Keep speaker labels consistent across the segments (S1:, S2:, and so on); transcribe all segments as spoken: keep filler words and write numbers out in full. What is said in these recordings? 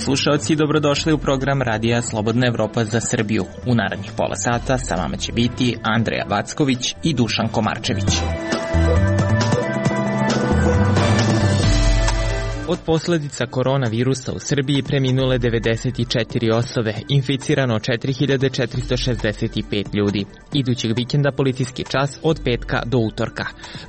S1: slušalci, dobrodošli u program Radija Slobodna Evropa za Srbiju. U narednih pola sata sa vama će biti Andreja Vacković i Dušan Komarčević. Od posledica koronavirusa u Srbiji preminule devedeset četiri osobe, inficirano četiri hiljade četiristo šezdeset pet ljudi. Idućeg vikenda policijski čas od petka do utorka.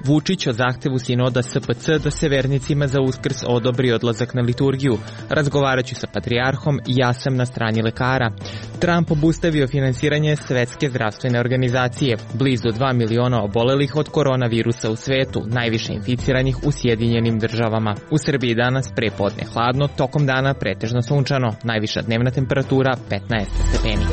S1: Vučić o zahtevu sinoda S P C da se vernicima za Uskrs odobri odlazak na liturgiju. Razgovaraću sa patrijarhom, ja sam na strani lekara. Trump obustavio finansiranje Svetske zdravstvene organizacije. Blizu dva miliona obolelih od koronavirusa u svetu, najviše inficiranih u Sjedinjenim državama. U Srbiji danas prepodne hladno, tokom dana pretežno sunčano, najviša dnevna temperatura petnaest stepeni.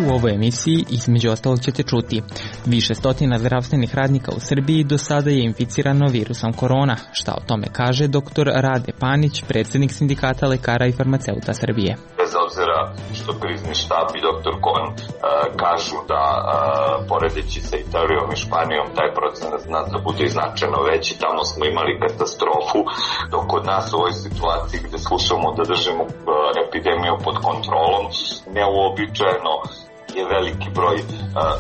S1: U ovoj emisiji između ostalog ćete čuti: više stotina zdravstvenih radnika u Srbiji do sada je inficirano virusom korona. Šta o tome kaže doktor Rade Panić, predsjednik Sindikata lekara i farmaceuta Srbije.
S2: Bez obzira što krizni štab i doktor Kon uh, kažu da uh, poredeći sa Italijom i Španijom taj procenat zna da bude značajno veći, tamo smo imali katastrofu, dok kod nas u ovoj situaciji gde slušamo da držimo uh, epidemiju pod kontrolom, neuobičajeno je veliki broj uh,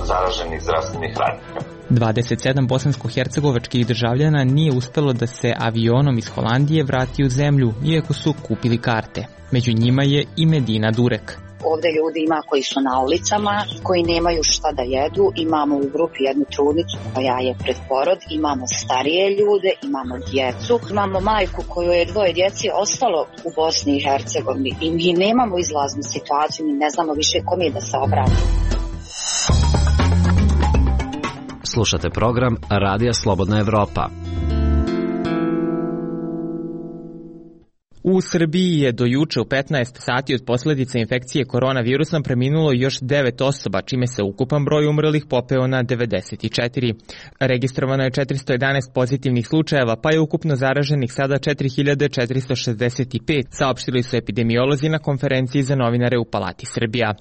S2: zaraženih zdravstvenih radnika.
S1: dvadeset sedam bosansko-hercegovačkih državljana nije uspelo da se avionom iz Holandije vrati u zemlju, iako su kupili karte. Među njima je i Medina Durek.
S3: Ovde ljudi ima koji su na ulicama, koji nemaju šta da jedu, imamo u grupi jednu trudnicu koja je pred porod, imamo starije ljude, imamo djecu, imamo majku koju je dvoje djeci ostalo u Bosni i Hercegovini i mi nemamo izlaznu situaciju, mi ne znamo više kome da se obratimo.
S4: Slušate program Radija Slobodna Evropa.
S1: U Srbiji je do juče u petnaest sati od posljedica infekcije koronavirusom preminulo još devet osoba, čime se ukupan broj umrlih popeo na devedeset četiri. Registrovano je četiristo jedanaest pozitivnih slučajeva, pa je ukupno zaraženih sada četiri hiljade četiristo šezdeset pet, saopštili su epidemiolozi na konferenciji za novinare u Palati Srbija.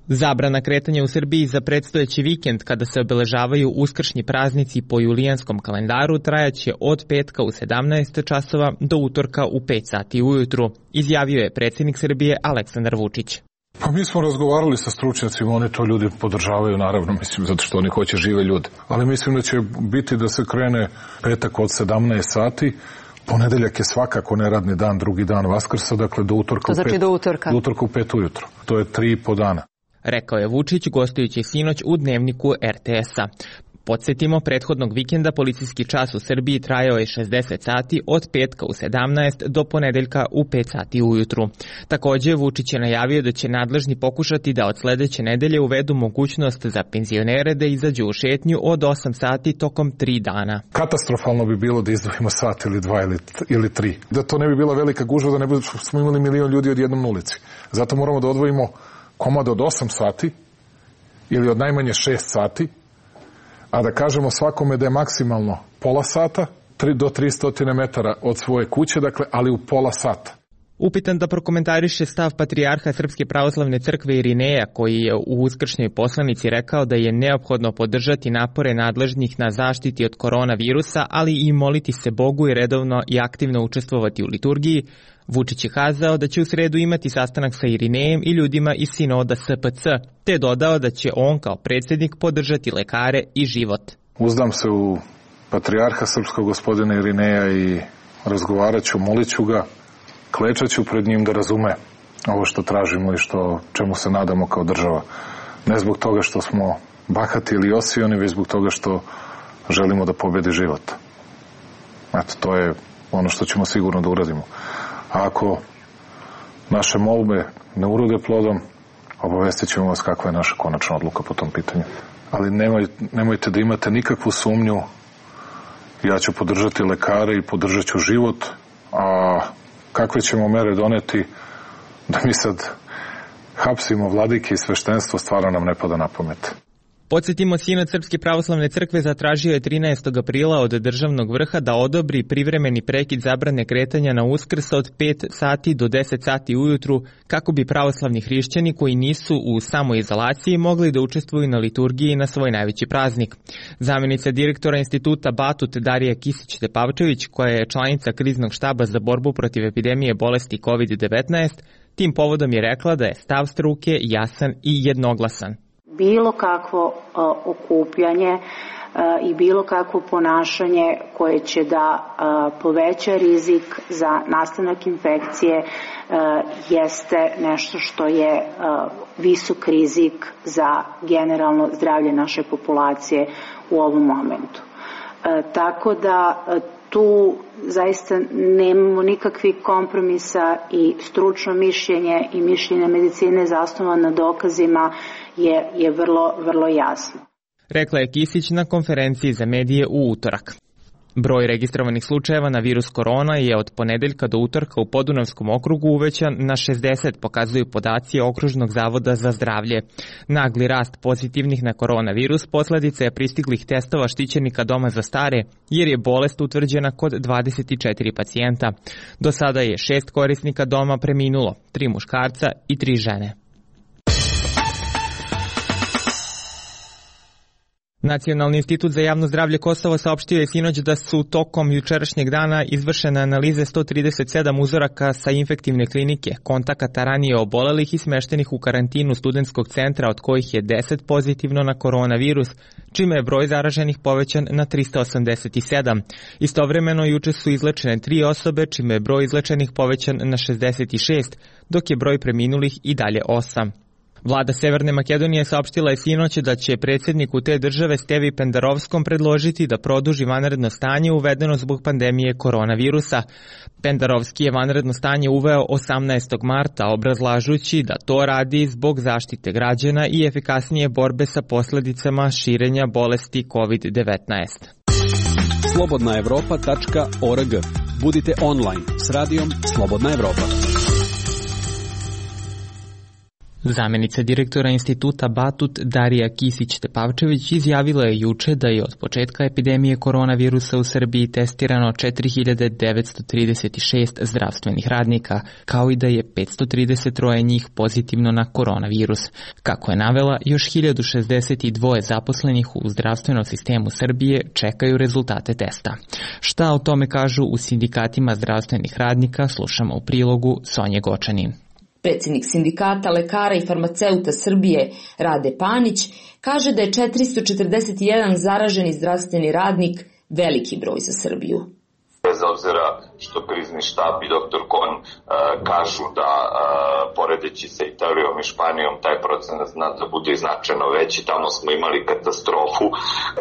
S1: Zabrana kretanja u Srbiji za predstojeći vikend, kada se obeležavaju uskršnji praznici po julijanskom kalendaru, trajaće od petka u sedamnaest časova do utorka u pet sati ujutru, izjavio je predsjednik Srbije Aleksandar Vučić.
S5: Pa mi smo razgovarali sa stručnjacima, oni to ljudi podržavaju, naravno, mislim, zato što oni hoće žive ljude. Ali mislim da će biti da se krene petak od sedamnaest sati, ponedeljak je svakako neradni dan, drugi dan Vaskrsa, dakle do utorka,
S6: to znači
S5: u, pet,
S6: do utorka.
S5: do utorka u pet ujutro. To je tri i po dana.
S1: Rekao je Vučić gostujući sinoć u dnevniku R T S-a. Podsjetimo, prethodnog vikenda policijski čas u Srbiji trajao je šezdeset sati od petka u sedamnaest do ponedeljka u pet sati ujutru. Također, Vučić je najavio da će nadležni pokušati da od sledeće nedelje uvedu mogućnost za penzionere da izađu u šetnju od osam sati tokom tri dana.
S5: Katastrofalno bi bilo da izdvojimo sat ili dva ili, ili tri. Da to ne bi bila velika gužva, da ne bi smo imali milion ljudi odjednom na ulici. Zato moramo da odvojimo komad od osam sati ili od najmanje šest sati, a da kažemo svakome da je maksimalno pola sata, tri do tristo metara od svoje kuće, dakle, ali u pola sata.
S1: Upitan da prokomentariše stav patrijarha Srpske pravoslavne crkve Irineja, koji je u uskršnjoj poslanici rekao da je neophodno podržati napore nadležnih na zaštiti od koronavirusa, ali i moliti se Bogu i redovno i aktivno učestvovati u liturgiji, Vučić je kazao da će u sredu imati sastanak sa Irinejem i ljudima iz sinoda S P C, te dodao da će on kao predsjednik podržati lekare i život.
S5: Uzdam se u patrijarha srpskog gospodina Irineja i razgovarat ću, molit ću ga, klečat ću pred njim da razume ovo što tražimo i što, čemu se nadamo kao država. Ne zbog toga što smo bahati ili osioni, već zbog toga što želimo da pobedi život. Eto, to je ono što ćemo sigurno da uradimo. A ako naše molbe ne urode plodom, obavestit ćemo vas kakva je naša konačna odluka po tom pitanju. Ali nemoj, nemojte da imate nikakvu sumnju, ja ću podržati lekare i podržat ću život, a kakve ćemo mere doneti da mi sad hapsimo vladike i sveštenstvo, stvarno nam ne pada na pamet.
S1: Podsjetimo, Sinod Srpske pravoslavne crkve zatražio je trinaestog aprila od državnog vrha da odobri privremeni prekid zabrane kretanja na Uskrs od pet sati do deset sati ujutru kako bi pravoslavni hrišćani koji nisu u samoizolaciji mogli da učestvuju na liturgiji na svoj najveći praznik. Zamjenica direktora instituta Batut Darija Kisić-Tepavčević, koja je članica kriznog štaba za borbu protiv epidemije bolesti kovid devetnaest, tim povodom je rekla da je stav struke jasan i jednoglasan.
S6: Bilo kakvo uh, okupljanje uh, i bilo kakvo ponašanje koje će da uh, poveća rizik za nastanak infekcije uh, jeste nešto što je uh, visok rizik za generalno zdravlje naše populacije u ovom momentu. Uh, tako da uh, tu zaista nemamo nikakvih kompromisa i stručno mišljenje i mišljenje medicine zasnovano na dokazima je, je vrlo, vrlo jasno.
S1: Rekla je Kisić na konferenciji za medije u utorak. Broj registrovanih slučajeva na virus korona je od ponedeljka do utorka u Podunavskom okrugu uvećan na šezdeset, pokazuju podaci Okružnog zavoda za zdravlje. Nagli rast pozitivnih na koronavirus posledica je pristiglih testova štićenika doma za stare, jer je bolest utvrđena kod dvadeset četiri pacijenta. Do sada je šest korisnika doma preminulo, tri muškarca i tri žene. Nacionalni institut za javno zdravlje Kosovo saopštio je sinoć da su tokom jučerašnjeg dana izvršene analize sto trideset sedam uzoraka sa infektivne klinike, kontakata ranije obolelih i smeštenih u karantinu studentskog centra, od kojih je deset pozitivno na koronavirus, čime je broj zaraženih povećan na tristo osamdeset sedam. Istovremeno juče su izlečene tri osobe, čime je broj izlečenih povećan na šezdeset šest, dok je broj preminulih i dalje osam. Vlada Severne Makedonije saopštila je sinoć da će predsjedniku te države Stevi Pendarovskom predložiti da produži vanredno stanje uvedeno zbog pandemije koronavirusa. Pendarovski je vanredno stanje uveo osamnaestog marta, obrazlažući da to radi zbog zaštite građana i efikasnije borbe sa posljedicama širenja bolesti kovid devetnaest.
S7: slobodna evropa tačka org. Budite online s radijom Slobodna Evropa.
S1: Zamjenica direktora instituta Batut Darija Kisić-Tepavčević izjavila je juče da je od početka epidemije koronavirusa u Srbiji testirano četiri hiljade devetsto trideset šest zdravstvenih radnika, kao i da je petsto trideset tri njih pozitivno na koronavirus. Kako je navela, još hiljadu šezdeset dva zaposlenih u zdravstvenom sistemu Srbije čekaju rezultate testa. Šta o tome kažu u sindikatima zdravstvenih radnika, slušamo u prilogu Sonje Gočanin.
S8: Predsjednik sindikata lekara i farmaceuta Srbije Rade Panić kaže da je četiristo četrdeset jedan zaraženi zdravstveni radnik veliki broj za Srbiju.
S2: Bez obzira što krizni štab i doktor Kon uh, kažu da uh, poredeći sa Italijom i Španijom taj procenat zna da bude značajno veći, tamo smo imali katastrofu,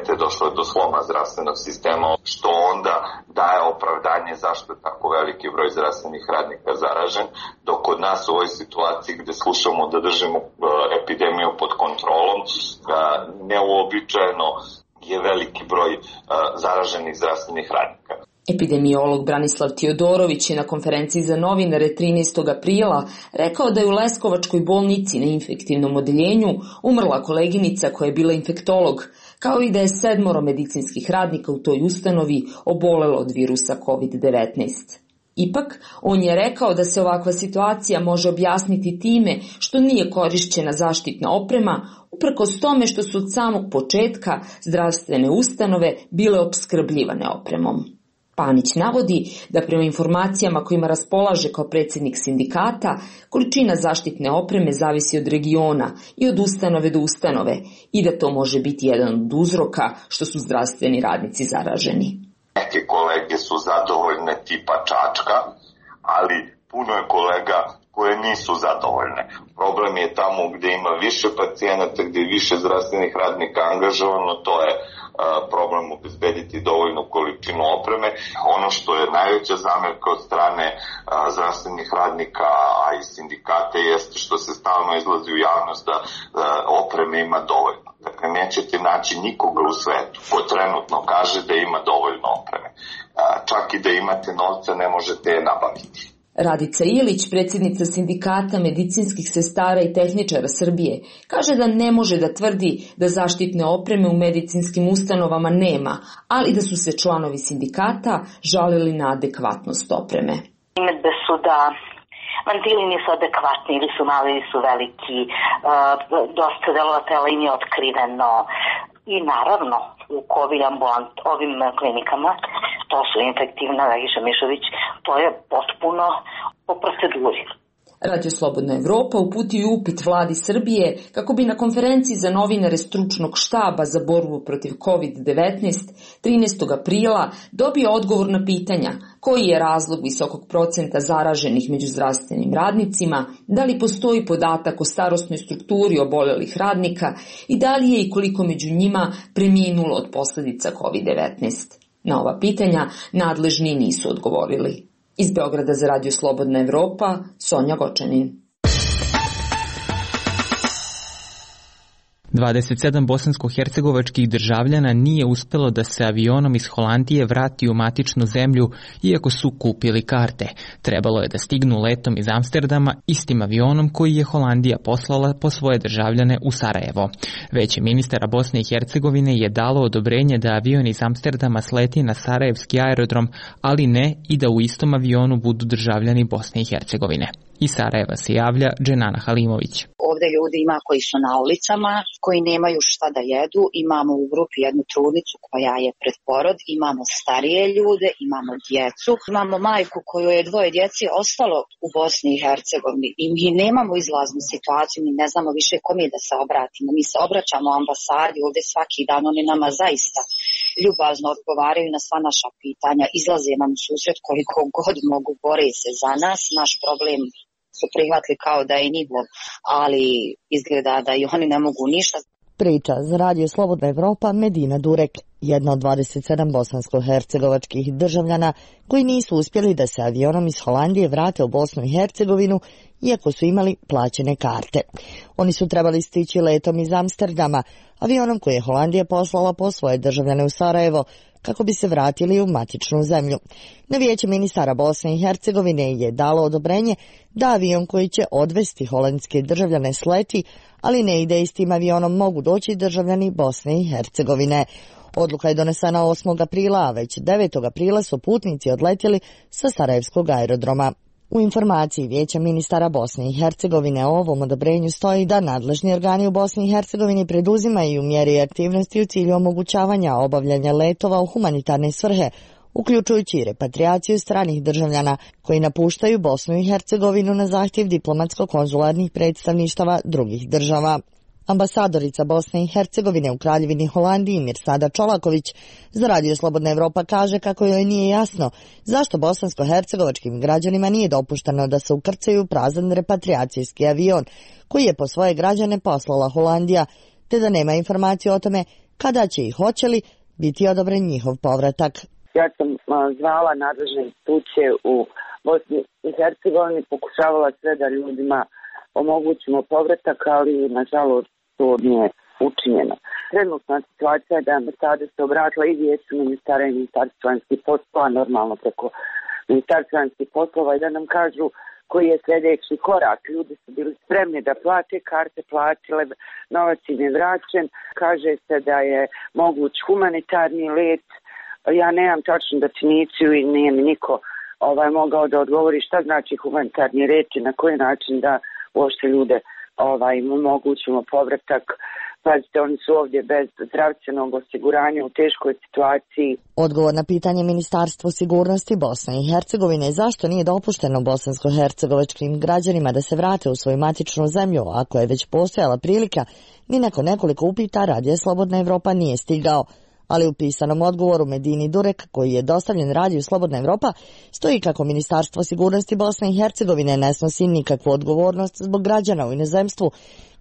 S2: te je došlo do sloma zdravstvenog sistema, što onda daje opravdanje zašto je tako veliki broj zdravstvenih radnika zaražen, dok kod nas u ovoj situaciji gde slušamo da držimo uh, epidemiju pod kontrolom, uh, neuobičajeno je veliki broj uh, zaraženih zdravstvenih radnika.
S8: Epidemiolog Branislav Tiodorović je na konferenciji za novinare trinaestog aprila rekao da je u Leskovačkoj bolnici na infektivnom odeljenju umrla koleginica koja je bila infektolog, kao i da je sedmoro medicinskih radnika u toj ustanovi obolelo od virusa kovid devetnaest. Ipak, on je rekao da se ovakva situacija može objasniti time što nije korišćena zaštitna oprema, uprkos tome što su od samog početka zdravstvene ustanove bile opskrbljivane opremom. Panić navodi da prema informacijama kojima raspolaže kao predsjednik sindikata, količina zaštitne opreme zavisi od regiona i od ustanove do ustanove i da to može biti jedan od uzroka što su zdravstveni radnici zaraženi.
S2: Neke kolege su zadovoljne tipa Čačka, ali puno je kolega koje nisu zadovoljne. Problem je tamo gde ima više pacijenata, gde je više zdravstvenih radnika angažovano, to je problem obezbediti dovoljnu količinu opreme. Ono što je najveća zamerka od strane a, zdravstvenih radnika, a i sindikate, jeste što se stalno izlazi u javnost da, da opreme ima dovoljno. Dakle, nećete naći nikoga u svetu ko trenutno kaže da ima dovoljno opreme. A, čak i da imate novca ne možete je nabaviti.
S8: Radica Ilić, predsjednica Sindikata medicinskih sestara i tehničara Srbije, kaže da ne može da tvrdi da zaštitne opreme u medicinskim ustanovama nema, ali da su se članovi sindikata žalili na adekvatnost opreme.
S9: Primedbe su da mantili nisu adekvatni, ili su mali, ili su veliki, dosta delova tela im je otkriveno. I naravno, u COVID ambulant, ovim klinikama, to su infektivna, Vegiša Mišović, to je potpuno po proceduri.
S8: Radio Slobodna Evropa uputio upit vladi Srbije kako bi na konferenciji za novinare stručnog štaba za borbu protiv kovid devetnaest trinaestog aprila dobio odgovor na pitanja koji je razlog visokog procenta zaraženih među zdravstvenim radnicima, da li postoji podatak o starosnoj strukturi obolelih radnika i da li je i koliko među njima preminulo od posledica kovid devetnaest. Na ova pitanja nadležni nisu odgovorili. Iz Beograda za Radio Slobodna Evropa, Sonja Gočanin.
S1: dvadeset sedam bosansko-hercegovačkih državljana nije uspelo da se avionom iz Holandije vrati u matičnu zemlju, iako su kupili karte. Trebalo je da stignu letom iz Amsterdama istim avionom koji je Holandija poslala po svoje državljane u Sarajevo. Veće ministara Bosne i Hercegovine je dalo odobrenje da avion iz Amsterdama sleti na sarajevski aerodrom, ali ne i da u istom avionu budu državljani Bosne i Hercegovine. Iz Sarajeva se javlja Dženana Halimović.
S3: Ovde ljudi ima koji su na ulicama, koji nemaju šta da jedu, imamo u grupi jednu trudnicu koja je pred porod, imamo starije ljude, imamo djecu, imamo majku kojoj je dvoje djeci ostalo u Bosni i Hercegovini i mi nemamo izlaznu situaciju, mi ne znamo više kome da se obratimo. Mi se obraćamo ambasadi ovde svaki dan, oni nama zaista ljubazno odgovaraju na sva naša pitanja, izlaze nam u susret koliko god mogu, bore se za nas, naš problem su prihvatili kao da je njihov, ali izgleda da i oni ne mogu ništa.
S10: Priča za Radio Slobodna Evropa Medina Durek, jedna od dvadeset sedam bosansko-hercegovačkih državljana koji nisu uspjeli da se avionom iz Holandije vrate u Bosnu i Hercegovinu, iako su imali plaćene karte. Oni su trebali stići letom iz Amsterdama, avionom koji je Holandija poslala po svoje državljane u Sarajevo, kako bi se vratili u matičnu zemlju. Na vijeće ministara Bosne i Hercegovine je dalo odobrenje da avion koji će odvesti holandske državljane sleti, ali ne ide istim avionom mogu doći državljani Bosne i Hercegovine. Odluka je donesena osmog aprila, a već devetog aprila su putnici odletjeli sa sarajevskog aerodroma. U informaciji vijeća ministara Bosne i Hercegovine o ovom odobrenju stoji da nadležni organi u Bosni i Hercegovini preduzimaju mjere i aktivnosti u cilju omogućavanja obavljanja letova u humanitarne svrhe, uključujući i repatriaciju stranih državljana koji napuštaju Bosnu i Hercegovinu na zahtjev diplomatsko-konzularnih predstavništava drugih država. Ambasadorica Bosne i Hercegovine u Kraljevini Holandiji Mirsada Čolaković za Radio Slobodna Evropa kaže kako joj nije jasno zašto bosansko-hercegovačkim građanima nije dopušteno da se ukrcaju prazan repatriacijski avion koji je po svoje građane poslala Holandija, te da nema informacije o tome kada će i hoće li biti odobren njihov povratak.
S11: Ja sam zvala nadležne institucije u Bosni i Hercegovini, pokušavala sve da ljudima omogućimo povratak, ali nažalost to nije učinjeno. Trenutna situacija je da je ambasada se obratila i vijeću ministara i ministarstva vanjskih poslova, normalno preko ministarstva vanjskih poslova, i da nam kažu koji je sljedeći korak. Ljudi su bili spremni da plate karte, platile, novac im je vraćen. Kaže se da je moguć humanitarni let. Ja nemam tačnu definiciju i nije mi niko ovaj, mogao da odgovori šta znači humanitarni let i na koji način da uopšte ljude ovaj, omogućimo povratak. Pazite, oni su ovdje bez zdravstvenog osiguranja u teškoj situaciji.
S10: Odgovor na pitanje Ministarstvo sigurnosti Bosne i Hercegovine zašto nije dopušteno bosansko-hercegovačkim građanima da se vrate u svoju matičnu zemlju, ako je već postojala prilika, ni nakon nekoliko upita Radija Slobodna Evropa nije stigao. Ali u pisanom odgovoru Medini Durek, koji je dostavljen Radiju Slobodna Evropa, stoji kako Ministarstvo sigurnosti Bosne i Hercegovine ne snosi nikakvu odgovornost zbog građana u inozemstvu,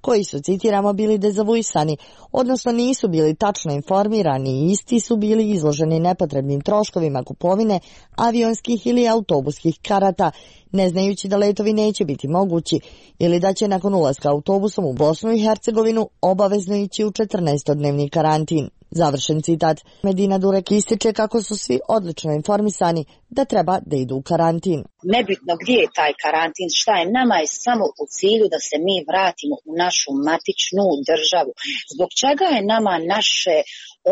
S10: koji su, citiramo, bili dezavuisani, odnosno nisu bili tačno informirani i isti su bili izloženi nepotrebnim troškovima kupovine avionskih ili autobuskih karata, ne znajući da letovi neće biti mogući ili da će nakon ulaska autobusom u Bosnu i Hercegovinu obavezno ići u četrnaestodnevni karantin. Završen citat. Medina Durek ističe kako su svi odlično informisani, da treba da idu u karantin.
S3: Nebitno gdje je taj karantin, šta je, nama je samo u cilju da se mi vratimo u našu matičnu državu. Zbog čega je nama naše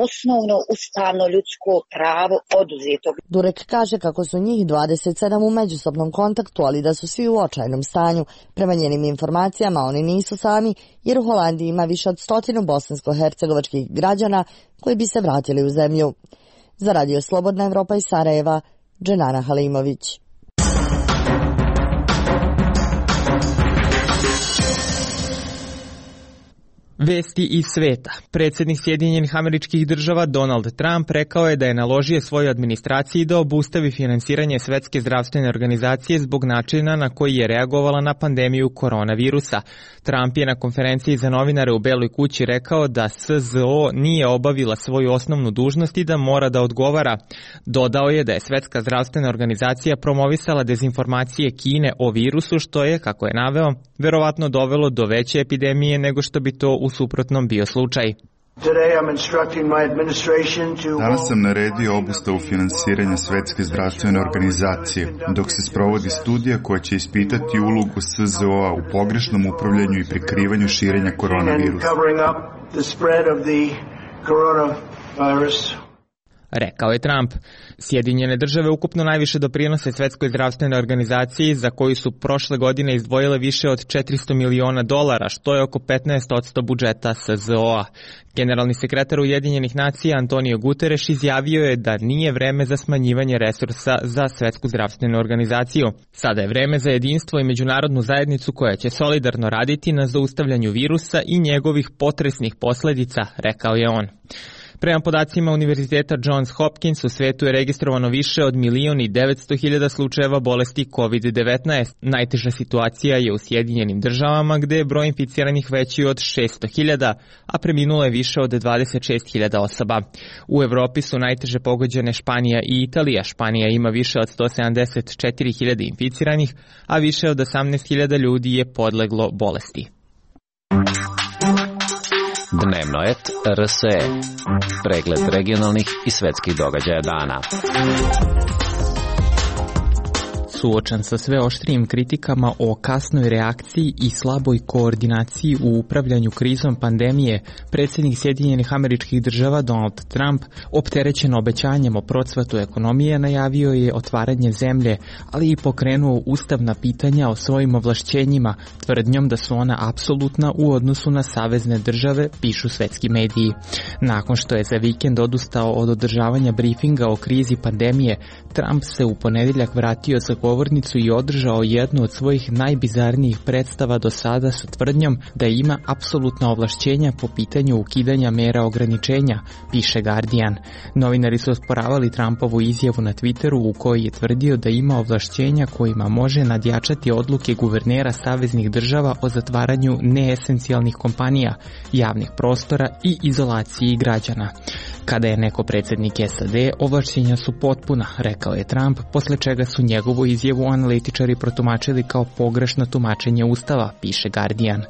S3: osnovno ustavno ljudsko pravo oduzeto?
S10: Durek kaže kako su njih dvadeset sedam u međusobnom kontaktu, ali da su svi u očajnom stanju. Prema njenim informacijama oni nisu sami, jer u Holandiji ima više od stotinu bosansko-hercegovačkih građana koji bi se vratili u zemlju. Za Radio Slobodna Evropa iz Sarajeva, Dženana Halimović.
S1: Vesti iz sveta. Predsjednik Sjedinjenih Američkih Država Donald Trump rekao je da je naložio svojoj administraciji da obustavi finansiranje Svetske zdravstvene organizacije zbog načina na koji je reagovala na pandemiju koronavirusa. Trump je na konferenciji za novinare u Beloj kući rekao da S Z O nije obavila svoju osnovnu dužnost i da mora da odgovara. Dodao je da je Svetska zdravstvena organizacija promovisala dezinformacije Kine o virusu, što je, kako je naveo, verovatno dovelo do veće epidemije nego što bi to u suprotnom bio slučaj.
S12: Danas sam naredio obustavu finansiranja Svetske zdravstvene organizacije, dok se sprovodi studija koja će ispitati ulogu S Z O-a u pogrešnom upravljanju i prikrivanju širenja koronavirusa.
S1: Rekao je Trump. Sjedinjene države ukupno najviše doprinose Svetskoj zdravstvenoj organizaciji, za koju su prošle godine izdvojile više od četiristo miliona dolara, što je oko petnaest posto budžeta S Z O-a. Generalni sekretar Ujedinjenih nacija Antonio Guterres izjavio je da nije vreme za smanjivanje resursa za Svetsku zdravstvenu organizaciju. Sada je vreme za jedinstvo i međunarodnu zajednicu koja će solidarno raditi na zaustavljanju virusa i njegovih potresnih posledica, rekao je on. Prema podacima Univerziteta Johns Hopkins, u svetu je registrovano više od milion i devetsto hiljada slučajeva bolesti kovid devetnaest. Najteža situacija je u Sjedinjenim državama, gde je broj inficiranih veći od šesto hiljada, a preminulo je više od dvadeset šest hiljada osoba. U Evropi su najteže pogođene Španija i Italija. Španija ima više od sto sedamdeset četiri hiljade inficiranih, a više od osamnaest hiljada ljudi je podleglo bolesti.
S4: Dnevnoet R S E. Pregled regionalnih i svetskih događaja dana.
S1: Suočan sa sve oštrijim kritikama o kasnoj reakciji i slaboj koordinaciji u upravljanju krizom pandemije, predsjednik Sjedinjenih Američkih Država Donald Trump, opterećen obećanjem o procvatu ekonomije, najavio je otvaranje zemlje, ali i pokrenuo ustavna pitanja o svojim ovlašćenjima, tvrdnjom da su ona apsolutna u odnosu na savezne države, pišu svetski mediji. Nakon što je za vikend odustao od održavanja brifinga o krizi pandemije, Trump se u ponedjeljak vratio za govornicu i održao jednu od svojih najbizarnijih predstava do sada sa tvrdnjom da ima apsolutna ovlašćenja po pitanju ukidanja mera ograničenja, piše Guardian. Novinari su osporavali Trumpovu izjavu na Twitteru u kojoj je tvrdio da ima ovlašćenja kojima može nadjačati odluke guvernera saveznih država o zatvaranju neesencijalnih kompanija, javnih prostora i izolaciji građana. Kada je neko predsjednik S A D, ovlašćenja su potpuna, rekao je Trump, posle čega su njegovu izjavu analitičari protumačili kao pogrešno tumačenje Ustava, piše Guardian.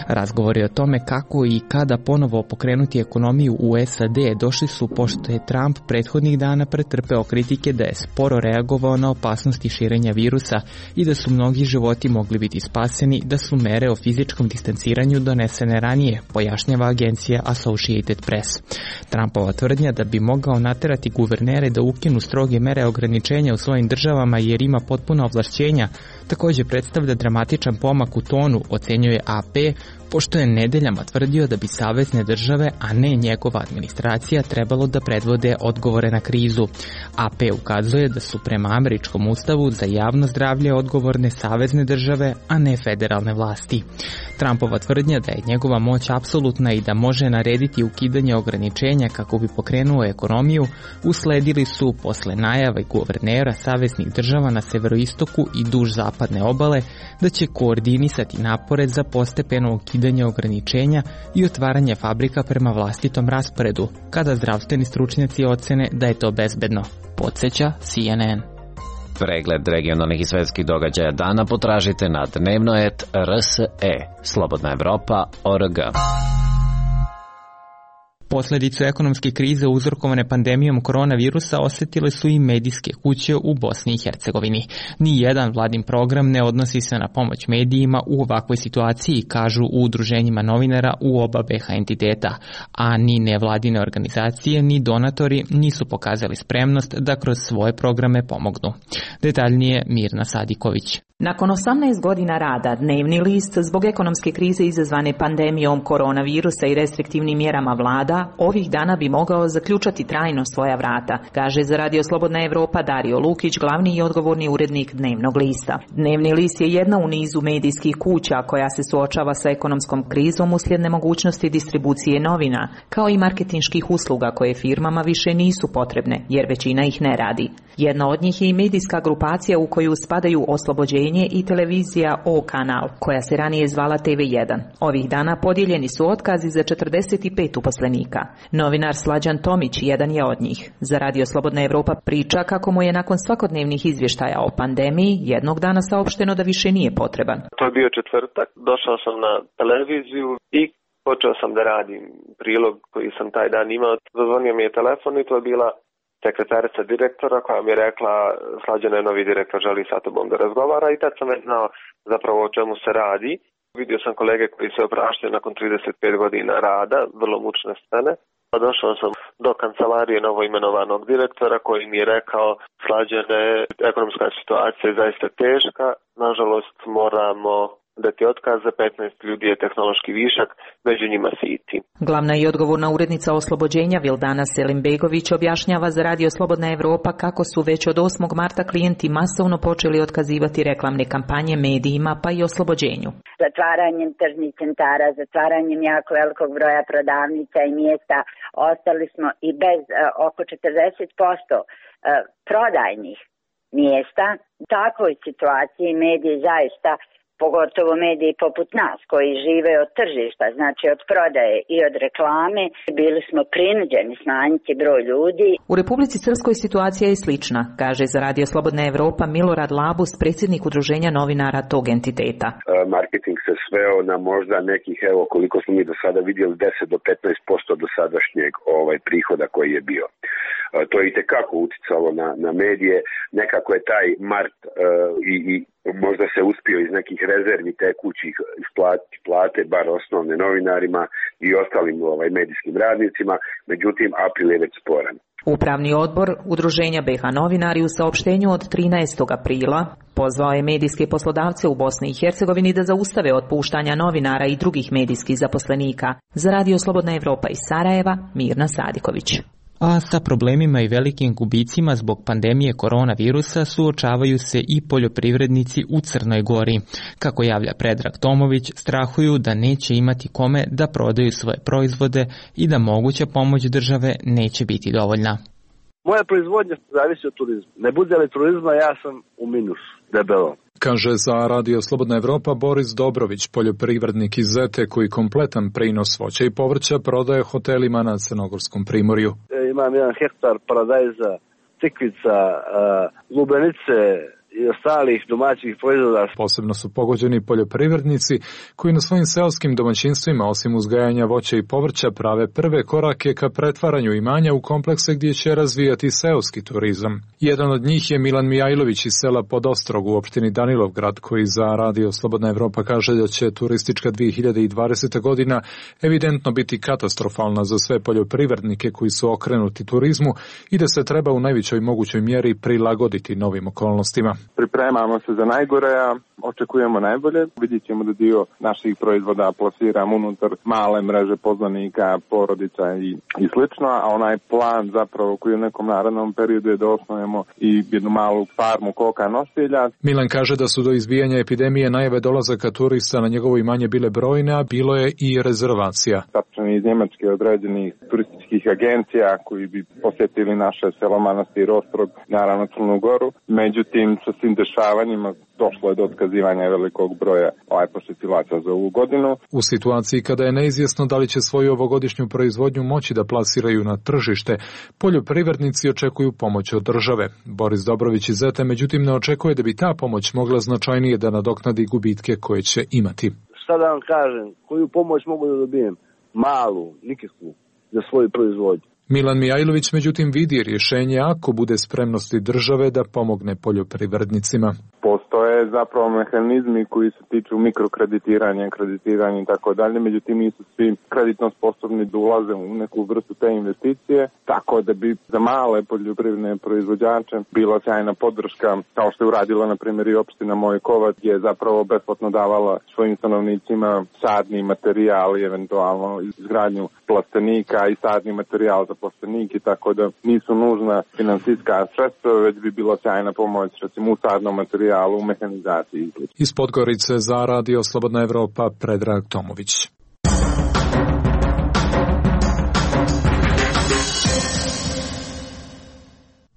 S1: Razgovori o tome kako i kada ponovo pokrenuti ekonomiju u S A D došli su pošto je Trump prethodnih dana pretrpeo kritike da je sporo reagovao na opasnosti širenja virusa i da su mnogi životi mogli biti spaseni da su mere o fizičkom distanciranju donesene ranije, pojašnjava agencija Associated Press. Trumpova tvrdnja da bi mogao naterati guvernere da ukinu stroge mere ograničenja u svojim državama jer ima potpuno ovlašćenja, također predstavlja dramatičan pomak u tonu, ocenjuje A P, pošto je nedeljama tvrdio da bi savezne države, a ne njegova administracija, trebalo da predvode odgovore na krizu. A P ukazuje da su prema američkom ustavu za javno zdravlje odgovorne savezne države, a ne federalne vlasti. Trumpova tvrdnja da je njegova moć apsolutna i da može narediti ukidanje ograničenja kako bi pokrenuo ekonomiju, usledili su posle najave guvernera saveznih država na severoistoku i duž zapadne obale da će koordinisati napore za postepeno ukidanje ograničenja i otvaranje fabrika prema vlastitom rasporedu, kada zdravstveni stručnjaci ocene da je to bezbedno, podsjeća C N N.
S4: Pregled regionalnih i svetskih događaja dana potražite na dnevnoet R S E. Slobodna Evropa, O R G.
S1: Posledicu ekonomske krize uzrokovane pandemijom koronavirusa osetile su i medijske kuće u Bosni i Hercegovini. Ni jedan vladin program ne odnosi se na pomoć medijima u ovakvoj situaciji, kažu u udruženjima novinara u oba B H entiteta, a ni nevladine organizacije ni donatori nisu pokazali spremnost da kroz svoje programe pomognu. Detaljnije Mirna Sadiković.
S13: Nakon osamnaest godina rada, Dnevni list zbog ekonomske krize izazvane pandemijom koronavirusa i restriktivnim mjerama vlada, ovih dana bi mogao zaključati trajno svoja vrata, kaže za Radio Slobodna Evropa Dario Lukić, glavni i odgovorni urednik Dnevnog lista. Dnevni list je jedna u nizu medijskih kuća koja se suočava sa ekonomskom krizom uslijed nemogućnosti distribucije novina, kao i marketinških usluga koje firmama više nisu potrebne, jer većina ih ne radi. Jedna od njih je i medijska grupacija u koju spadaju Oslobođenje i televizija O kanal, koja se ranije zvala T V jedan. Ovih dana podijeljeni su otkazi za četrdeset pet uposlenika. Novinar Slađan Tomić jedan je od njih. Za Radio Slobodna Evropa priča kako mu je nakon svakodnevnih izvještaja o pandemiji jednog dana saopšteno da više nije potreban.
S14: To je bio četvrtak, došao sam na televiziju i počeo sam da radim prilog koji sam taj dan imao. Zazvonio mi je telefon i to je bila sekretarica direktora koja mi je rekla: Slađan je novi direktor, želi sa tobom da razgovara, i tad sam već znao zapravo o čemu se radi. Vidio sam kolege koji se opraštaju nakon trideset pet godina rada, vrlo mučne scene. Došao sam do kancelarije novoimenovanog direktora koji mi je rekao: Slađane, ekonomska situacija je zaista teška, nažalost moramo dati otkaz, za petnaest ljudi je tehnološki višak, među njima si i ti.
S13: Glavna i odgovorna urednica Oslobođenja Vildana Selimbegović objašnjava za Radio Slobodna Evropa kako su već od osmog marta klijenti masovno počeli otkazivati reklamne kampanje medijima, pa i Oslobođenju.
S15: Zatvaranjem tržnih centara, zatvaranjem jako velikog broja prodavnica i mjesta, ostali smo i bez uh, oko četrdeset posto uh, prodajnih mjesta. U takvoj situaciji mediji zaista, pogotovo mediji poput nas koji žive od tržišta, znači od prodaje i od reklame, bili smo prinuđeni smanjiti broj ljudi.
S13: U Republici Srpskoj situacija je slična, kaže za Radio Slobodna Evropa Milorad Labus, predsjednik udruženja novinara tog entiteta.
S16: Marketing se sveo na možda nekih, evo koliko smo mi do sada vidjeli, deset do petnaest posto do sadašnjeg ovaj prihoda koji je bio. To je itekako uticalo na, na medije. Nekako je taj mart uh, i, i možda se uspio iz nekih rezervi tekućih isplatiti plate, bar osnovne novinarima i ostalim ovaj, medijskim radnicima, međutim april je već sporan.
S13: Upravni odbor Udruženja B H novinari u saopštenju od trinaestog aprila pozvao je medijske poslodavce u Bosni i Hercegovini da zaustave otpuštanja novinara i drugih medijskih zaposlenika. Za Radio Slobodna Evropa iz Sarajeva, Mirna Sadiković.
S1: A sa problemima i velikim gubicima zbog pandemije koronavirusa suočavaju se i poljoprivrednici u Crnoj Gori. Kako javlja Predrag Tomović, strahuju da neće imati kome da prodaju svoje proizvode i da moguća pomoć države neće biti dovoljna.
S17: Moja proizvodnja zavisi od turizma. Ne bude li turizma, ja sam u minusu, debelo.
S5: Kaže za Radio Slobodna Evropa Boris Dobrović, poljoprivrednik iz Zete koji kompletan prinos voća i povrća prodaje hotelima na Crnogorskom primorju.
S17: E, imam jedan hektar paradajza, tikvica, lubenice i ostalih domaćih proizvoda.
S5: Posebno su pogođeni poljoprivrednici koji na svojim seoskim domaćinstvima, osim uzgajanja voća i povrća, prave prve korake ka pretvaranju imanja u komplekse gdje će razvijati seoski turizam. Jedan od njih je Milan Mijajlović iz sela Podostrog u opštini Danilovgrad, koji za Radio Slobodna Evropa kaže da će turistička dvije hiljade dvadeseta godina evidentno biti katastrofalna za sve poljoprivrednike koji su okrenuti turizmu i da se treba u najvećoj mogućoj mjeri prilagoditi novim okolnostima.
S18: Pripremamo se za najgore, a očekujemo najbolje. Vidjet ćemo da dio naših proizvoda plasiramo unutar male mreže poznanika, porodica i, i slično, a onaj plan zapravo koji u nekom narednom periodu je da osnujemo i jednu malu farmu koka nosilja.
S5: Milan kaže da su do izbijanja epidemije najave dolazaka turista na njegovo imanje bile brojne, a bilo je i rezervacija.
S18: Tačni iz Njemačke određenih turističkih agencija koji bi posjetili naše selo Manastir Ostrog, naravno Crnu Goru. Međutim, sa svim dešavanjima došlo je do otkazivanja velikog broja ovaj posjetilaca za ovu godinu.
S5: U situaciji kada je neizvjesno da li će svoju ovogodišnju proizvodnju moći da plasiraju na tržište, poljoprivrednici očekuju pomoć od države. Boris Dobrović iz Zete međutim ne očekuje da bi ta pomoć mogla značajnije da nadoknadi gubitke koje će imati.
S17: Šta da vam kažem, koju pomoć mogu da dobijem? Malu, nikakvu. za svoju proizvodnju.
S5: Milan Mijajlović međutim vidi rješenje ako bude spremnosti države da pomogne poljoprivrednicima.
S18: Postoje zapravo mehanizmi koji se tiču mikrokreditiranja, kreditiranja i tako dalje, međutim nisu svi kreditno sposobni da ulaze u neku vrstu te investicije, tako da bi za male poljoprivredne proizvođače bila sjajna podrška, kao što je uradila na primjer i opština Mojkovac, gdje je zapravo besplatno davala svojim stanovnicima sadni materijal i eventualno izgradnju plastenika i sadni materijal za plastenike, tako da nisu nužna finansijska sredstva, već bi bila sjajna pomoć recimo u sadnom materijalu, u mehanizaciji.
S5: Iz Podgorice za Radio Slobodna Evropa Predrag Tomović.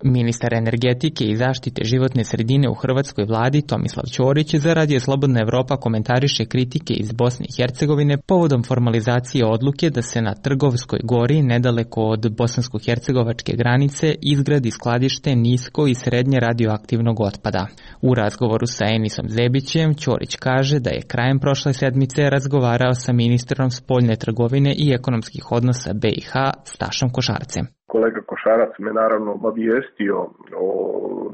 S1: Ministar energetike i zaštite životne sredine u hrvatskoj vladi Tomislav Ćorić za Radio Slobodna Evropa komentariše kritike iz Bosne i Hercegovine povodom formalizacije odluke da se na Trgovskoj gori, nedaleko od bosansko-hercegovačke granice, izgradi skladište nisko i srednje radioaktivnog otpada. U razgovoru sa Enisom Zebićem Ćorić kaže da je krajem prošle sedmice razgovarao sa ministrom spoljne trgovine i ekonomskih odnosa B i H Stašom Košarcem.
S19: Kolega Košarac me naravno obavijestio o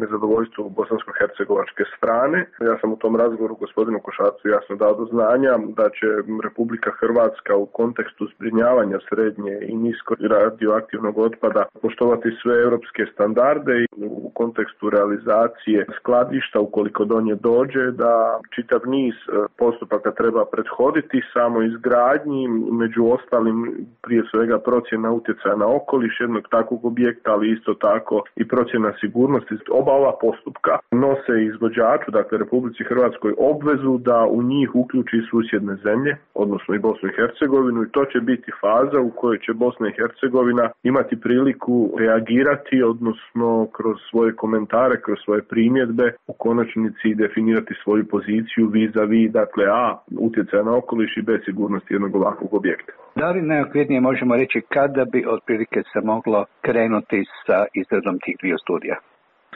S19: nezadovoljstvu bosansko-hercegovačke strane. Ja sam u tom razgovoru gospodinu Košarcu jasno dao do znanja da će Republika Hrvatska u kontekstu zbrinjavanja srednje i nisko radioaktivnog otpada poštovati sve europske standarde i u kontekstu realizacije skladišta, ukoliko do nje dođe, da čitav niz postupaka treba prethoditi samo izgradnji, među ostalim prije svega procjena utjecaja na okoliš jednog takvog objekta, ali isto tako i procjena sigurnosti. Oba ova postupka nose izvođaču, dakle Republici Hrvatskoj, obvezu da u njih uključi susjedne zemlje, odnosno i Bosnu i Hercegovinu, i to će biti faza u kojoj će Bosna i Hercegovina imati priliku reagirati, odnosno kroz svoje komentare, kroz svoje primjedbe, u konačnici definirati svoju poziciju vis-a-vis, dakle A, utjecaja na okoliš i B, sigurnosti jednog ovakvog objekta.
S20: Da li najokvirnije možemo reći kada bi otprilike se moglo krenuti sa izradom tih dviju studija?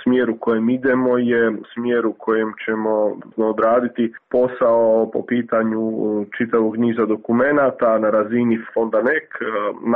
S19: Smjer u kojem idemo je smjer u kojem ćemo odraditi posao po pitanju čitavog niza dokumenata na razini fonda N E K.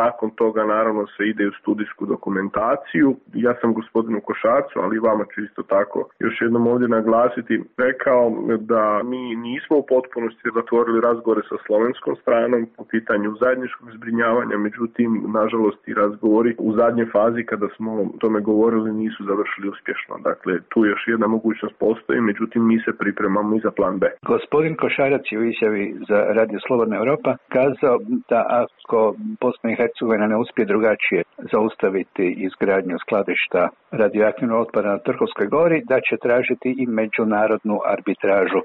S19: Nakon toga naravno se ide u studijsku dokumentaciju. Ja sam gospodinu Košarcu, ali vama ću isto tako još jednom ovdje naglasiti, rekao da mi nismo u potpunosti zatvorili razgovore sa slovenskom stranom po pitanju zajedničkog zbrinjavanja, međutim, nažalost, i razgovori u zadnjoj fazi kada smo o tome govorili nisu završili uspješno. Dakle, tu još jedna mogućnost postoji, međutim mi se pripremamo i za plan B.
S20: Gospodin Košarac je u izjavi za Radio Slobodna Evropa kazao da ako Bosna i Hercegovina ne uspije drugačije zaustaviti izgradnju skladišta radioaktivnog otpada na Trgovskoj gori, da će tražiti i međunarodnu arbitražu.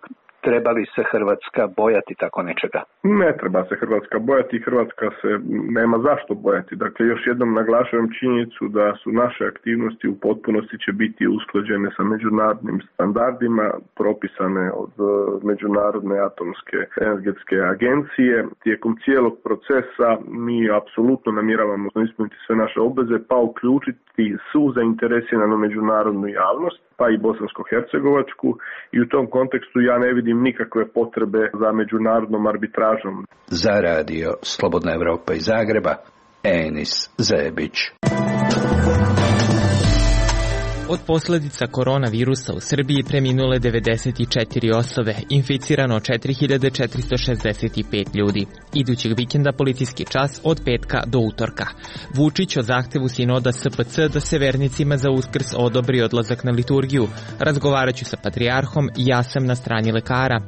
S20: Treba li se Hrvatska bojati tako nečega?
S19: Ne treba se Hrvatska bojati, Hrvatska se nema zašto bojati. Dakle, još jednom naglašavam činjenicu da su naše aktivnosti u potpunosti će biti usklađene sa međunarodnim standardima, propisane od Međunarodne atomske energetske agencije. Tijekom cijelog procesa mi apsolutno namjeravamo ispuniti sve naše obveze, pa uključiti svu zainteresiranu međunarodnu javnost, pa i bosansko-hercegovačku, i u tom kontekstu ja ne vidim nikakve potrebe za međunarodnom arbitražom.
S20: Za Radio Slobodna Evropa iz Zagreba, Enis Zebić.
S1: Od posljedica koronavirusa u Srbiji preminule devedeset četiri osobe, inficirano četiri hiljade četiristo šezdeset pet ljudi. Idućeg vikenda policijski čas od petka do utorka. Vučić o zahtevu sinoda S P C da se vernicima za Uskrs odobri odlazak na liturgiju. Razgovaraću sa patrijarhom, ja sam na strani lekara.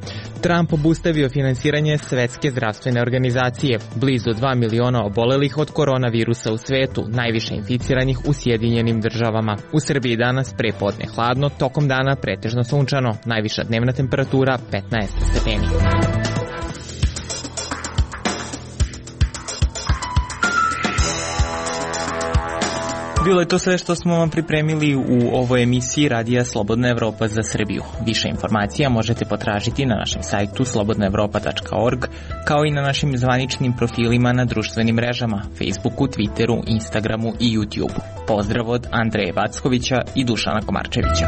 S1: Trump obustavio finansiranje Svetske zdravstvene organizacije. Blizu dva miliona obolelih od koronavirusa u svetu, najviše inficiranih u Sjedinjenim državama. U Srbiji danas prepodne hladno, tokom dana pretežno sunčano, najviša dnevna temperatura petnaest stepeni. Bilo je to sve što smo vam pripremili u ovoj emisiji Radija Slobodna Evropa za Srbiju. Više informacija možete potražiti na našem sajtu slobodna evropa tačka org, kao i na našim zvaničnim profilima na društvenim mrežama, Facebooku, Twitteru, Instagramu i YouTubeu. Pozdrav od Andreja Vackovića i Dušana Komarčevića.